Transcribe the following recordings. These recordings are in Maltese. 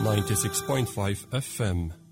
96.5 FM.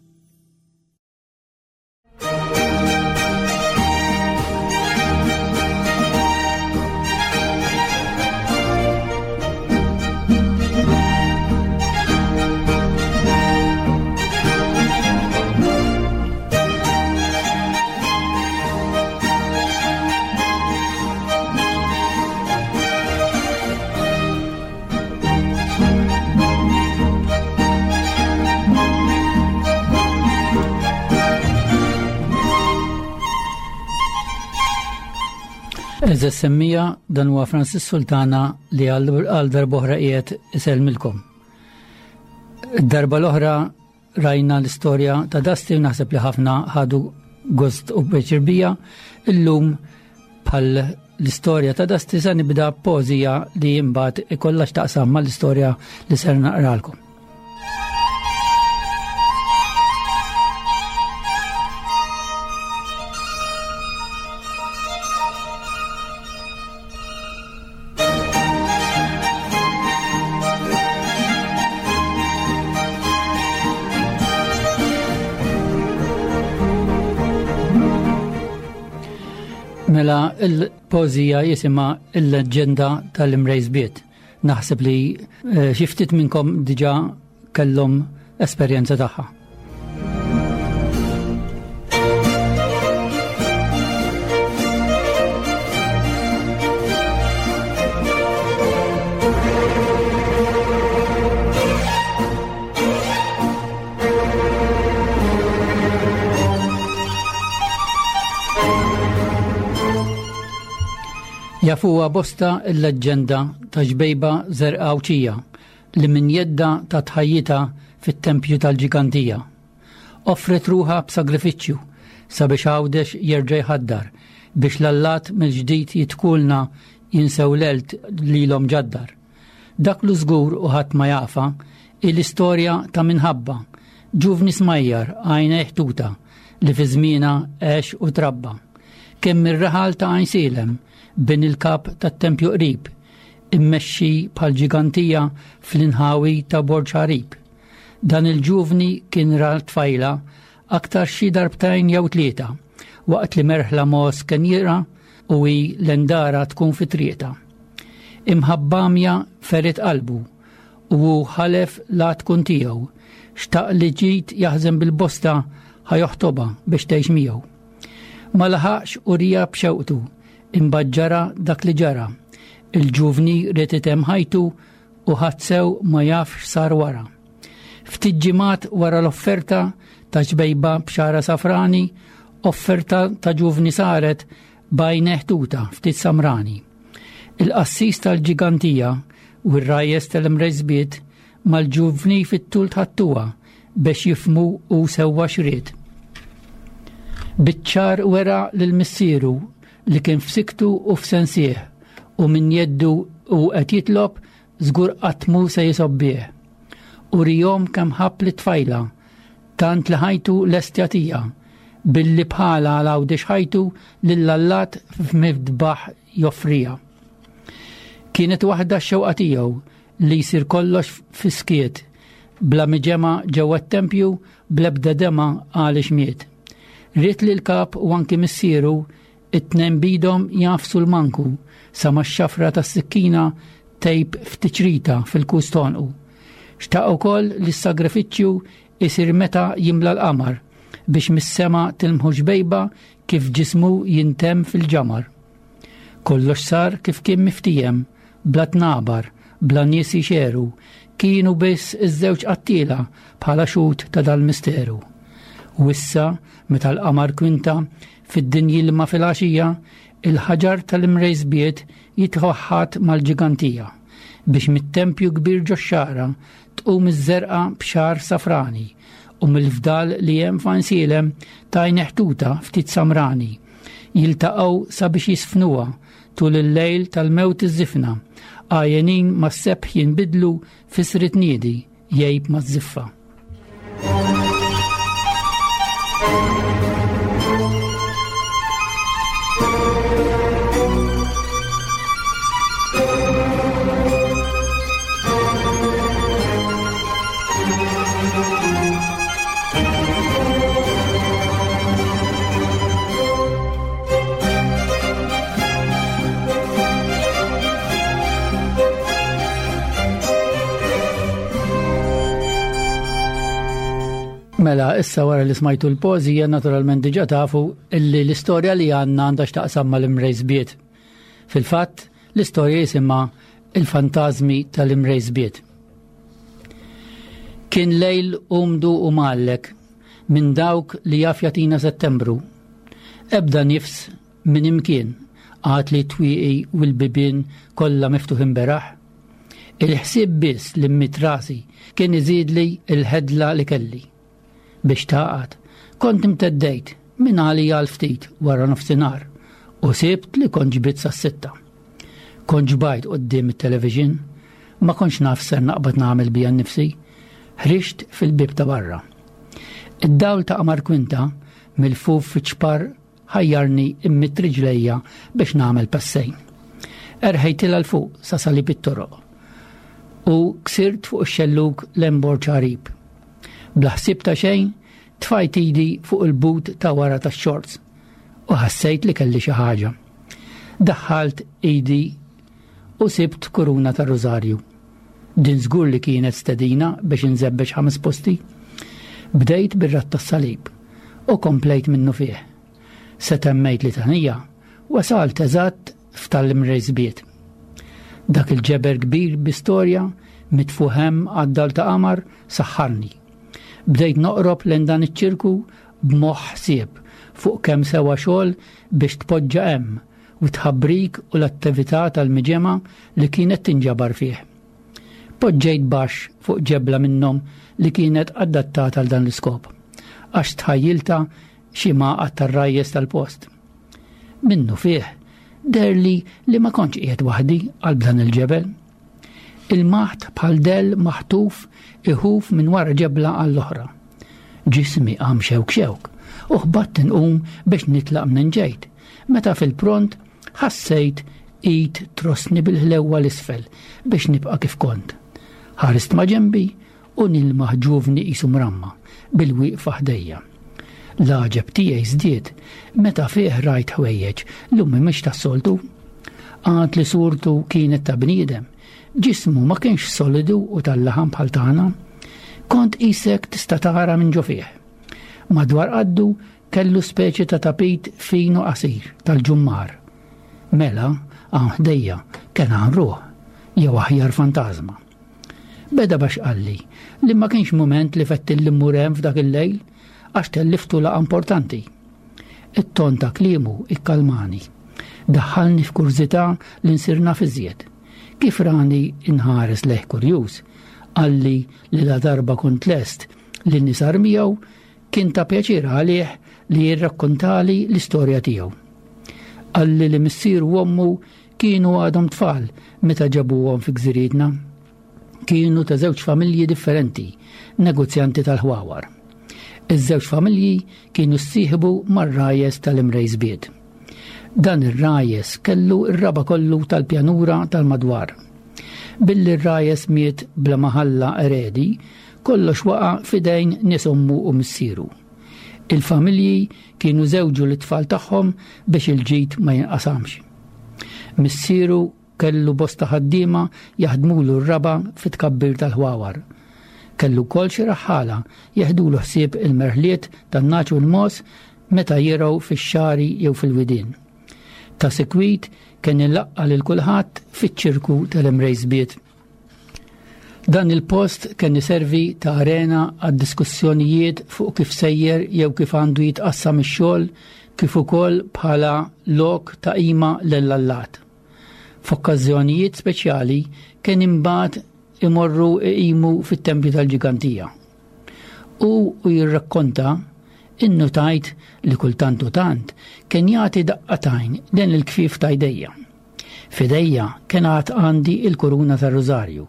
Eże semmija dan huwa Francis Sultana li għal darboħra qiegħed isellmilkom. Darba l-oħra Rajna l-istorja ta' Dusty u naħseb li ħafna ħadu gost u pjaċir bija. Illum bħal l-istorja ta' Dusty se nibda pożija li imbagħad ikollha x'taqsam mal-istorja li ser naqralkom. Mela il-pożija jisimha il-leġenda tal-imrejżbiet. Naħseb li eh, xi ftit minnkom diġà kellhom esperjenza tagħha. Jafuha bosta l-leġġenda ta' ġbejba żerqa Għawdxija li minn jeddha tat ħajjitha fit-tempju tal-ġigantija. Offret ruħha b'sagrifiċċju sabiex Għawdex jerġa' jħaddar biex l-allat mill-ġdid jidkulna jinsew l-għelt lilhom ġaddar. Dak lu żgur u ħadd ma jafha hi l-istorja ta' minħabba ġuvni smajjar għajnejh tuta li fi żmienha għex u trabba. Kien mir-raħal ta' Għajnsielem, bin il-kap tat-tempju qrib, immexxi bħal ġigantija fl-inħawi ta' Borġ Għarib. Dan il-ġuvni kien ra tfajla aktar xi darbtejn jew tlieta, waqt li merħla mogħoż kien jirgħa u hi l-endara tkun fi triqtha. Imħabba għamja ferit qalbu u hu ħalef la tkun tiegħu, xtaq li ġid jaħżen bil-bosta ħa joħtobha biex tgħix miegħu. Ma laħaqx u rija b'xewqtu, imbagħad ġara dak li ġara. Il-ġuvni ried itemm ħajtu u ħadd sew ma jaf x'sar wara. Ftit ġimgħat wara l-offerta ta' ġbejba b'xara safrani, offerta ta' ġuvni saret b'għajnejh tuta ftit samrani. Il-qassis tal-ġigantija u r-rajjes tal-imrejżbiet mal-ġuvni fit-tul tħattuha biex jifhmu hu sewwa x'ried. Biċ-ċar wera lil missieru li kien f'siktu u f'sensih u minn jeddu hu qed jitlob żgur qatt mhu se jisobbih. Urihom kemm ħabb lit-tfajla tant li ħajtu lest jagħtiha billi bħala għal Għawdex ħajtu lill-allat f'midbaħ joffriha. Kienet waħda x-xewqa tiegħu li jsir kollox fis-skiet, bla miġemgħa ġewwa t-tempju bl-ebda demgħa għaliex miet. Ried li l-kap u anki missieru it-tnejn b'idhom jagħfsu l-manku sa ma x-xafra tas-sikkina tgħib f'tiċrita fil-kus t'għonqu. Xtaq ukoll li s-sagrifiċċju isir meta jimla l-qamar biex mis-sema tilmħu xbejba kif ġismu jintemm fil-ġamar. Kollox sar kif kien miftiehem, bla tnabar, bla nies jxeru, kienu biss iż-żewġ qattiela bħala xhud ta' dal-misteru. U issa, meta l-qamar kwinta, fid-din jilma filgħaxija, il-ħaġar tal-imrejżbiet jitwaħħad mal-ġigantija, biex mit-tempju kbir ġox-xagħra tqum iż-żerqa b'xagħar safrani, u mill-fdal li hemm f'Għajnsielem t'għajn ħtuta ftit samrani, jiltaqgħu sabiex jisfnuha tul il-lejl tal-mewt iż-żifna, għajjenin mas-sebħ jinbidlu f'isri tniedi jgħib maż-żiffa. Mela, issa wara li smajtu l-pożija, naturalment diġa tafu illi l-istorja li għandna għandha x'taqsam mal-imrejsbiet. Fil-fatt, l-istorja jisimha Il-Fantażmi tal-Imrejsbiet. Kien lejl umdu u mgħallek minn dawk li jaf jagħtina Settembru. Ebda nifs minn imkien għad li t-twieqi u l-bibien kollha miftuħin beraħ. Il-ħsieb biss li mmidt rasi kien iżidli l-ħedla li kelli. Biex tagħqad, kont imteddejt minn għalija għal ftit wara nofsinhar u sibt li kont ġbidt sas-sitta. Kont ġbajt quddiem it-television, ma kontx naf ser naqbad nagħmel bija nnifsi. Ħriġt fil-bieb ta' barra. Id-dawl ta' qamar kwinta milfuf fiċ-ċpar ħajjarni immidd riġlejja biex nagħmel passejn. Erħejtilha 'l fuq sa salib it-toroq u ksirt fuq ix-xellug lejn Borġ Għarib. Bla ħsieb ta' xejn, tfajt idi fuq il-but ta' wara tax-xorts u ħassejt li kelli xi ħaġa. Daħħalt idi u sibt kuruna tar-rużarju. Din żgur li kienet stedina biex inżebbeġ ħames posti. Bdejt bir-ratt tas-salib u komplejt minnufih. Se temmejt litanija, wasalt eżatt f'tal-imrejsbiet. Dak il-ġeber kbir bi storja mitfugħ hemm għad-dal ta' qamar saħħarni. Bdejt noqrob lejn dan iċ-ċirku b'moħħ ħsieb fuq kemm sewa xogħol biex tpoġġa hemm u t-tħabbrik u l-attività tal-miġemgħa li kienet tinġabar fih. Poġġejt baxx fuq ġebla minnhom li kienet adattata għal dan l-iskop, għax tħajjiltha xi magħqad tar-rajjes tal-post. Minnufih, deherli li ma kontx qiegħed waħdi qalb dan il-ġebel. Il-maħt bħal dell maħtuf iħuf minn wara ġebla għall-oħra. Ġismi qam xewk xewk u ħbatt inqum biex nitlaq minn ġejt, meta fil-pront ħassejt id trossni bil-ħlewwa l-isfel biex nibqa' kif kont. Ħarist ma' ġenbi u nilmaħ ġuvni qisu mramma bil-wieqfa ħdejja. L-għaġeb tiegħi żdied meta fih rajt ħwejjeġ li mhumiex tas-soltu. Għad li surtu kienet ta' bniedem, ġismu ma kienx solidu u tal-laħam bħal tagħna. Kont qisek tista' tara minn ġo fih. Madwar qaddu kellu speċi ta' tapit fin u qasir tal-ġummar. Mela, hawn ħdejja kien hawn ruħ, jew aħjar fantażma. Beda bax qalli li ma kienx mument li fettilli mmur hemm f'dak il-lejl għax telliftu laqgħa importanti. It-ton ta' kliemu ikkalmani. Daħħalni f'kurżità li nsir naf iżjed. Kif rani nħares lejh kurjuż, qalli li ladarba kont lest li nisar miegħu kien ta' pjaċir għalih li jirrakkontali l-istorja tiegħu. Qalli li missieru u ommu Kienu għadhom tfal meta ġabuhom fi gżirietna. Kienu ta' żewġ familji differenti, negozjanti tal-ħwawar. Iż-żewġ familji kienu ssieħbu mar-rajes tal-Imrejsbiet. Dan ir-rajes kellu r-raba' kollu tal-pjanura tal-madwar. Billi r-rajes miet bla ma ħalla eredi, kollox waqa' f'idejn nies ommu u missieru. Il-familji kienu żewġu lit-tfal tagħhom biex il-ġid ma jinqasamx. Missieru kellu bosta ħaddiema jaħdmulu r-raba' fit-tkabbir tal-ħwawar. Kellu wkoll xi raħħala jeħdulu ħsieb il-merħliet tan-nagħaġ u l-mogħoż meta jirgħu fix-xagħri jew fil-widien. Ta' sikwit kien ilaqqa' lil kulħadd fiċ-ċirku tal-Imrejsbiet. Dan il-post kien iservi ta' arena għad-diskussjonijiet fuq kif sejjer jew kif għandu jitqassam ix-xogħol kif ukoll bħala lok ta' qima lill-allat. F'okkażjonijiet speċjali kien imbagħad imorru iqimu fit-tempju tal-Ġigantija. Hu u jirrakkonta, innutajt li kultant u tant kien jagħti daqqa t'għajn lejn il-kfief ta' jdejja. F'idejja kien għad għandi il-kuruna tar-rużarju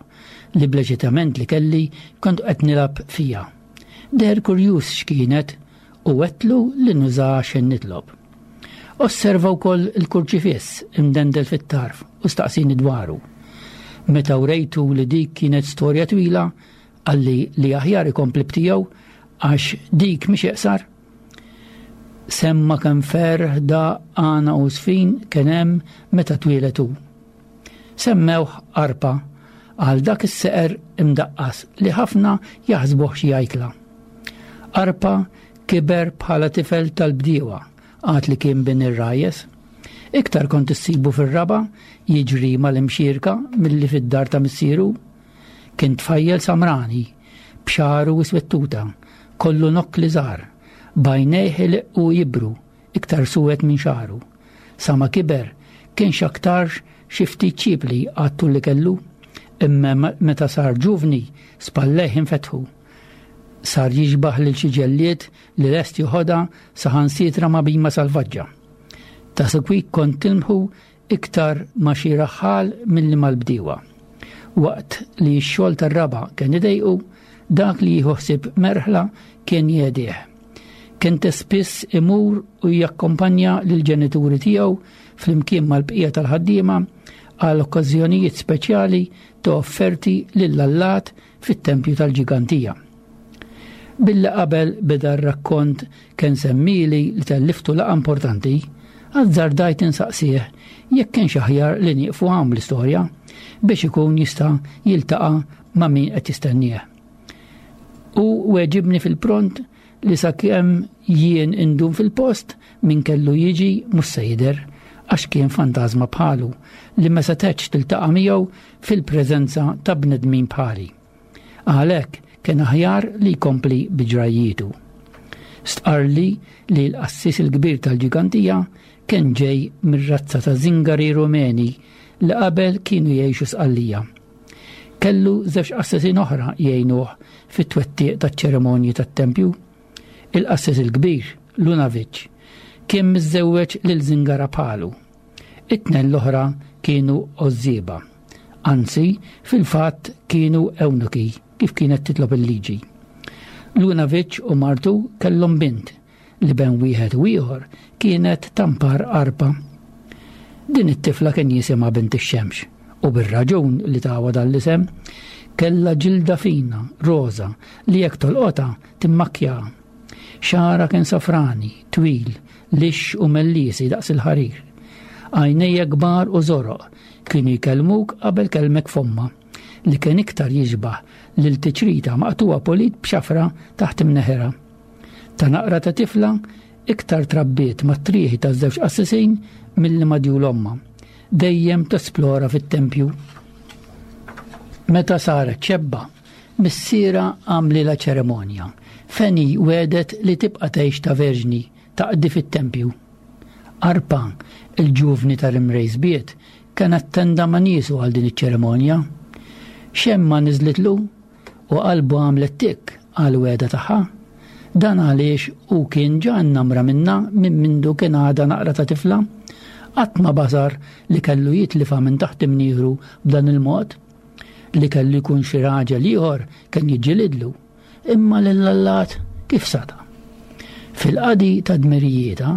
li bl-eċitament li kelli kont qed nilgħab fiha. Deher kurjuż x'kienet u għedtlu li nużaha x'ħin nitlob. Osserva wkoll il-kurċifiss imdendel fit-tarf u staqsini dwaru. Meta wrejtu li dik kienet storja twila, qalli li aħjar ikompli b'tiegħu għax dik mhix iqsar. Semma kemm ferħ, daqq, għana u żfin kien hemm meta twieled hu. Semmewh Arpa għal dak is-seqer imdaqqas li ħafna jaħsbuh xi ajkla. Arpa kiber bħala tifel tal-bdiewa għad li kien bin ir-rajjes. Iktar kont issibu fir-raba' jiġri mal-imxierka milli fid-dar ta' missieru. Kien tfajjel samrani, b'xagħru iswettuta, kollu nokkli żgħar, b'għajnejh iliqqu jibru, iktar suwed minn xagħru. Sa ma kiber, kien x'aktarx xi ftit ċiepli għat-tul li kellu, imma meta sar ġuvni, spallejh infetħu. Sar jixbah lil xi ġellied li lest joħodha saħansitra ma' bhima salvaġġa. Ta' sikwit kont tilmħu iktar ma' xi raħħal milli mal-bdiewa. Waqt li x-xogħol tar-raba' kien idejqu, dak li jieħu ħsieb merħla kien jgħedih. Kien ta' spiss imur u jakkompanja lill-ġenituri tiegħu flimkien mal-bqija tal-ħaddiema għal okkażjonijiet speċjali ta' offerti lill-allat fit-tempju tal-Ġigantija. Billi qabel beda r-rakkont kien semmili li telliftu laqgħa importanti, azzardajt insaqsih jekk kienx aħjar li nieqfu hawn bl-istorja biex ikun jista' jiltaqa' ma' min qed jistennieh. U weġibni fil-pront li sakemm jien indum fil-post min kellu jiġi mhux se jidher għax kien fantażma bħalu li ma setgħetx tiltaqa' miegħu fil-preżenza ta' bnedmin bħali. Għalhekk kien aħjar li jkompli bi ġrajjietu. Stqarrli li l-qassis il-kbir tal-Ġigantija kien ġej mir-razza ta' Zingari Rumeni li qabel kienu jgħixu Sqallija. Kellu żewġ qassisin oħra jgħinuh fit-twettiq taċ-ċerimonji tat-tempju. Il-qassis il-kbir, Lunavic, kien miżżewweġ lil Zingara bħalu. It-tnejn l-oħra kienu għożżieba. Anzi, fil-fatt kienu ewnuki, kif kienet titlob il-liġi. Lunavic u martu kellhom bint li ben wieħed u ieħor kienet tampar arpa. Din it-tifla kien jisimha bint ix-xemx u bir-raġun li tawha dan l-isem, kellha ġilda fina, roża, li jekk tolqotha timmakkjaha. Xagħarha kien safrani, twil, lixx u melliesi daqs il-ħarir. Għajnejja kbar u żoroq kienu jkellmuk qabel kellmek fommha, li kien iktar jixbah lil tiċrita maqtugħa pulit b'xafra taħt imneħirha. Ta' naqra ta' tifla iktar trabbiet mat-trieħi taż-żewġ qassisin milli ma' djul ommha, dejjem tesplora fit-tempju. Meta saret xebba, missierha għamlilha ċerimonja fejn hi wegħdet li tibqa' tgħix ta' verġni taqdi fit-tempju. Arpa, il-ġuvni tal-Imrejsbiet, kien attenda ma' niesu għal din iċ-ċerimonja. Xemma niżlitlu u qalbu għamlet tikk għall-wegħda tagħha. Dan għaliex hu kien ġa nnamra minnha minn mindu kien għadha naqra ta' tifla. Qatt ma basar li kellu jitlifha minn taħt imnieħru b'dan il-mod. Li kellu jkun xi raġel ieħor kien jiġġilidlu. Imma lill-allat kif sata'? Fil-qadi ta' dmirijietha,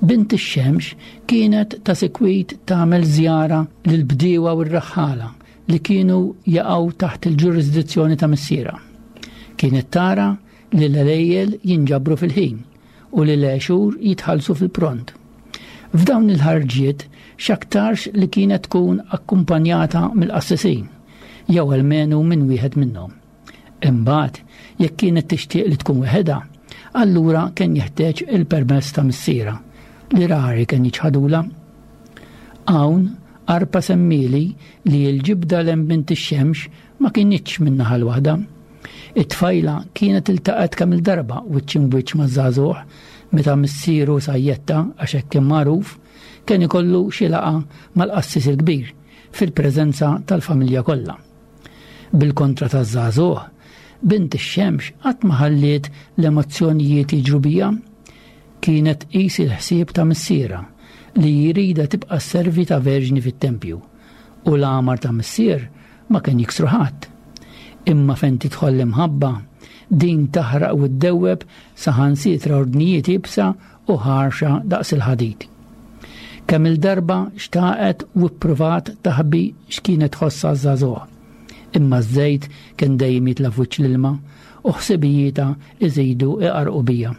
bint ix-xemx kienet ta' sikwit tagħmel żjara lill-bdiewa u r-raħħala li kienu jaqgħu taħt il-ġurisdizzjoni ta' missierha. Kienet tara li l-għelejjel jinġabru fil-ħin u li l-għexur jitħallsu fil-pront. F'dawn il-ħarġiet x'aktarx li kienet tkun akkumpanjata mill-qassisin, jew almenu minn wieħed minnhom. Imbagħad, jekk kienet tixtieq li tkun weħedha, allura kien jeħtieġ il-permess ta' missierha, li rari kien jiċħadulha. Hawn, Arpa semmieli li l-ġibda 'l hemm bint ix-xemx ma kinitx min-naħa l-waħda. It-tfajla kienet iltaqgħet kemm-il darba wiċċ imbwiċċ maż-żagħżugħ meta missieru Sajjetta, għax hekk kien magħruf, kien ikollu xi laqgħa mal-qassis il-kbir fil-preżenza tal-familja kollha. Bil-kontra taż-żagħżugħ, bint ix-xemx qatt ma ħalliet l-emozzjonijiet jiġru biha. Kienet tqis il-ħsieb ta' missierha li jridha tibqa' sservi ta' verġni fit-tempju, u l-għamar ta' missier ma kien jiksru ħadd. Imma fejn tidħol l-imħabba, din taħraq u ddewweb saħansitra ordnijiet iebsa u ħarxa daqs il-ħadid. Kemm-il darba xtaqet u ppruvat taħbi x'kienet tħoss għaż-żagħżugħ. Imma ż-żejt kien dejjem jitla' f'wiċċ l-ilma u ħsibijietha iżidu iqarrqu bija.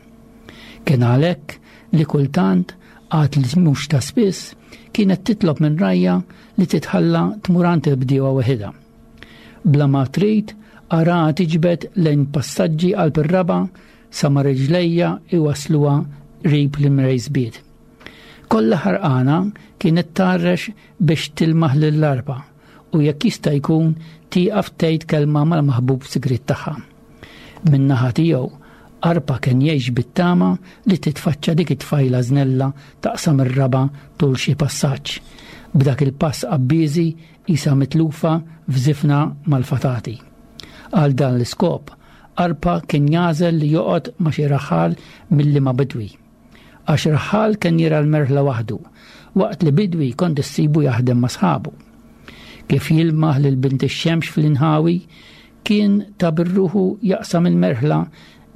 Kien għalhekk li kultant, għad li mhux ta' spiss, kienet titlob minn rajha li titħalla tmur għand il-bdiewa weħidha. Bla ma trid, araha tiġbed lejn passaġġi qalb ir-raba' sa ma riġlejja iwassluha qrib l-imrejsbiet. Kollha ħarqana kienet tgħarrex biex tilmaħ lill-arpa u jekk jista' jkun tieqaf tgħid kelma mal-maħbub sigriet tagħha. Min-naħa tiegħu, Arpa kien jgħix bit-tama li titfaċċa dik it-tfajla żnella taqsam ir-raba' tul xi passaġġ, b'dak il-pass qabbiżi qisha mitlufa f'żifna mal-fatati. Għal dan l-iskop, Arpa kien jagħżel li joqgħod ma' xi raħħal milli ma' bidwi. Għax raħħal kien jira l-merħla waħdu, waqt li bidwi kont issibu jaħdem ma' sħabu. Kif jilmaħ lil bint ix-xemx fl-inħawi, kien ta' birruħu jaqsam il-merħla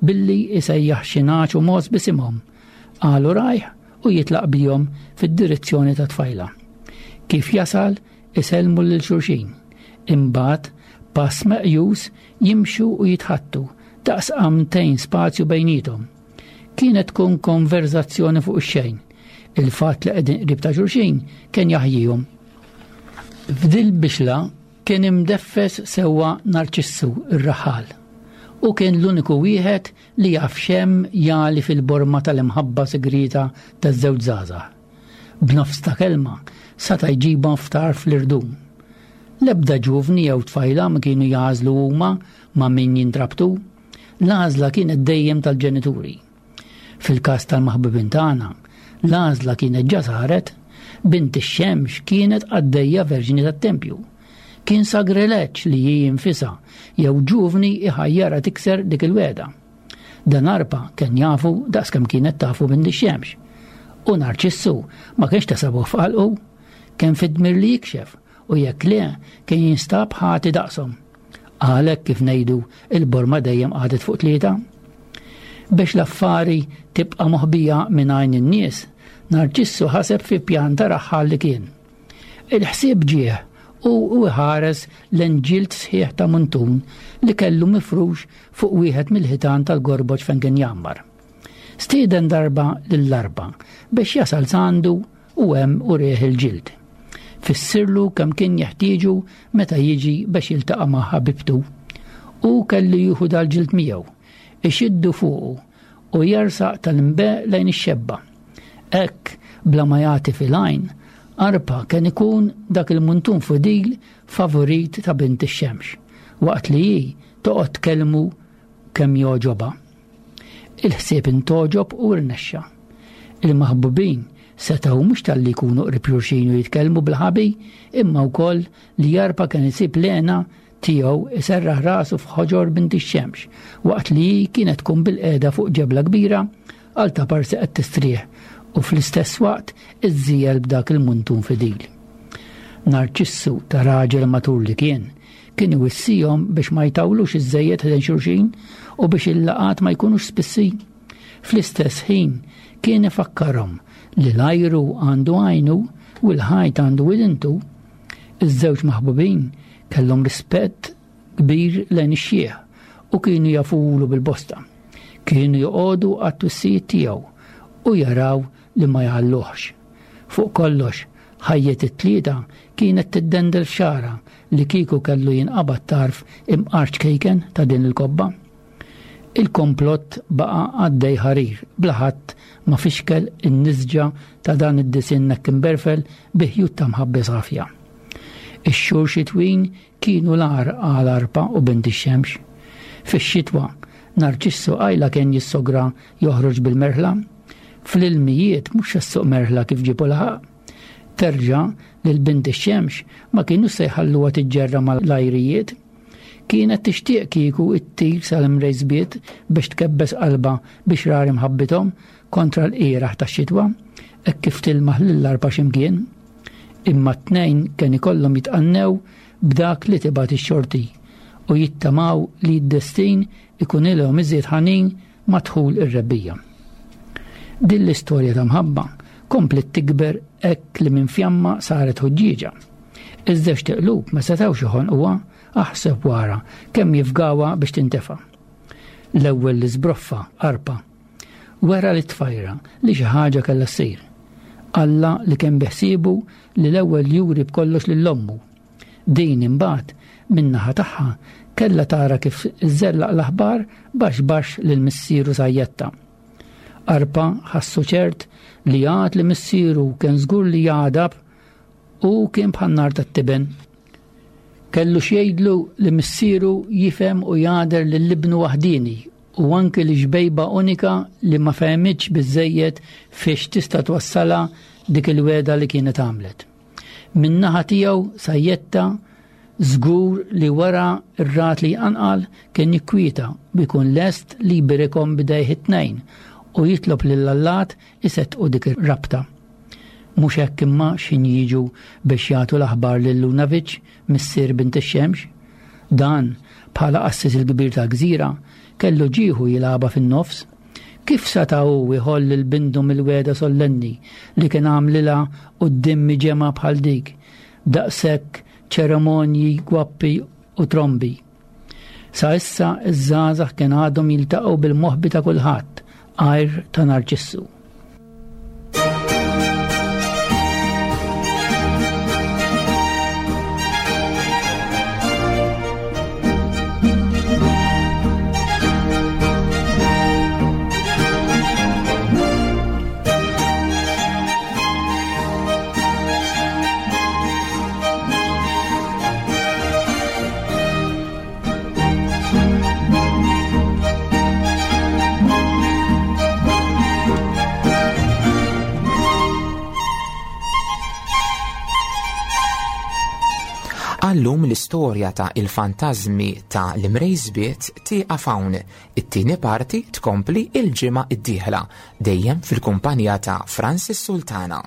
billi isejjaħ xi nagħaġ u mogħoż b'isimhom. Qalu rajh u jitlaq bihom fid-direzzjoni ta' tfajla. Kif jasal, isellmu lil xulxin. Imbagħad, pass meqjus jimxu u jitħattu daqs qamtejn spazju bejniethom. Kienet tkun konverzazzjoni fuq ix-xejn. Il-fatt li qegħdin qrib ta' xulxin kien jaħjihom. F'dil bixla kien imdeffes sewwa Narċissu r-raħal u kien l-uniku wieħed li jaf x'hemm jagħli fil-borma tal-imħabba sigrieta taż-żewġ żgħażagħ. B'nofs ta' kelma sata' jġibhom f'tarf l-irdum. L-ebda ġuvni jew tfajla ma kienu jagħżlu huma ma' min jintrabtu. L-għażla kienet dejjem tal-ġenituri. Fil-każ tal-maħbubin tagħna, l-għażla kienet ġa saret, bint ix-xemx kienet qaddejja verġni tat-tempju. Kien sagrileġġ li hi nfisha jew ġuvni iħajjarha tikser dik il-wegħda. Dan Arpa kien jafu daqskemm kienet tafu bint ix-xemx. U Narċissu ma kienx ta' sabuh f'qalqu. Kien fid-dmir li jikxef u jekk le kien jinstab ħati daqshom. Għalhekk kif ngħidu il-borma dejjem qagħdet fuq tlieta. Biex l-affari tibqa' moħbija minn għajn in-nies, Narċissu ħaseb fi pjan ta' raħħal li kien. Il-ħsieb ġieħ u u ħares lejn ġild sħiħ ta' muntun li kellu mifrux fuq wieħed mill-ħitan tal-gorboġ fejn kien jgħammar. Stieden darba lill-arba biex jasal għandu u hemm urieh il-ġild. Fissirlu kemm kien jeħtieġu meta jiġi biex jiltaqa' ma' ħabibtu. Hu kellu jieħu dal-ġild miegħu, ixiddu fuqu u jersaq tal-imbe lejn ix-xebba. Hekk, bla ma jagħti fil-għajn, Arpa kien ikun dak il-muntun fudil favorit ta' bint ix-xemx, waqt li hi toqgħod tkellmu kemm jogħġobha. Il-ħsieb intogħġob u rnexxa. Il-maħbubin setgħu mhux talli jkunu qrib xulxin u jitkellmu bil-ħabi, imma wkoll li Jarpa kien isib l-hena tiegħu iserraħ rasu f'ħoġor bint ix-xemx, waqt li hi kienet tkun bilqiegħda fuq ġebla kbira għal ta' parsi qed tistrieħ u fl-istess waqt iżżiegħel b'dak il-muntun fidil. Narċissu ta' raġel matur li kien, kien iwissihom biex ma jtawlux iżżejjed ħdejn xulxin u biex il-laqgħat ma jkunux spissi. Fl-istess ħin kien ifakkarhom li l-ajru għandu għajnu u l-ħajt għandu widintu. Iż-żewġ maħbubin kellhom rispett kbir lejn ix-xiħ u kienu jafulu bil-bosta. Kienu joqogħdu għat-twissijiet tiegħu u jaraw li ma jgħalluhx. Fuq kollox, ħajjet it-tlieta kienet tiddendel f'xagħra li kieku kellu jinqabad tarf imqar ċkejken ta' din il-kobba. Il-komplott baqa' għaddej ħarir bla ħadd ma fixkel in-nisġa ta' dan id-disinn hekk imberfel bi ħjut ta' mħabba safja. Ix-xhur xitwin kienu l-agħar għal Arpa u Bint ix-Xemx. Fix-xitwa, Narċissu qajla kien jissogra joħroġ bil-merħla. Fl-ilmijiet mhux se ssuq merħla kif ġieb u laħaq. Terġa' lil Bint ix-Xemx ma kinux se jħalluha tiġġerra mal-ajrijiet. Kienet tixtieq kieku ttir sal-imrejżbiet biex tkebbes qalbha bi xrar imħabbithom kontra l-qieraħ tax-xitwa, hekk kif tilmaħ lill-arpa xi mkien. Imma t-tnejn kien ikollhom jitqannew b'dak li tibgħat ix-xorti u jittamaw li d-destin ikunilhom iżjed ħanin ma' dħul ir-rebbiegħa. Din l-istorja ta' mħabba kompliet tikber hekk li minn fjamma saret ħuġġieġa. Iż-żewġt iqlub ma setgħux joħonquha, aħseb wara kemm jifgawha biex tintefa'. L-ewwel li żbroffa Arpa. Wera lit-tfajra li xi ħaġa kellha ssir. Alla li kien biħsiebu li l-ewwel juri b'kollox lil ommu. Din imbagħad min-naħa tagħha. Kellha tara kif iżżellaq l-aħbar baxx baxx lil missieru Sajjetta. Arpa ħassu ċert li għad li missieru kien żgur li jagħdab u kien bħan-nar tat-tiben. Kellu x'jgħidlu li missieru jifhem u jagħder lil ibnu waħdieni u anki li xbejba unika li ma fehmitx biżżejjed fiex tista' twassalha dik il-wegħda li kienet għamlet. Min-naħa tiegħu Sajjetta żgur li wara r-ragħad li jqanqal kien jikkwieta u jkun lest li jbirikhom b'idejh it-tnejn u jitlob lill-allat iseddqu dik ir-rabta. Mhux hekk imma x'ħin jiġu biex jagħtu l-aħbar lil Lunavic, missier bint ix-xemx? Dan, bħala qassis il-kbir tal-gżira, kellu ġieħu jilgħabha fin-nofs. Kif seta' hu jħoll lil bintu mill-wegħda sollenni li kien għamlilha quddiem miġemgħa bħal dik, b'daqshekk ċeremonji, gwappi u trombi? Sa issa ż-żgħażagħ kien għadhom jiltaqgħu bil-moħbi ta' kulħadd għajr ta' Narċissu. Għallum l-istorja ta' il-fantażmi ta' l-imrejżbiet tieqaf hawn. It-tieni parti tkompli il-ġimgħa d-dieħla, dejjem fil-kumpanija ta' Francis Sultana.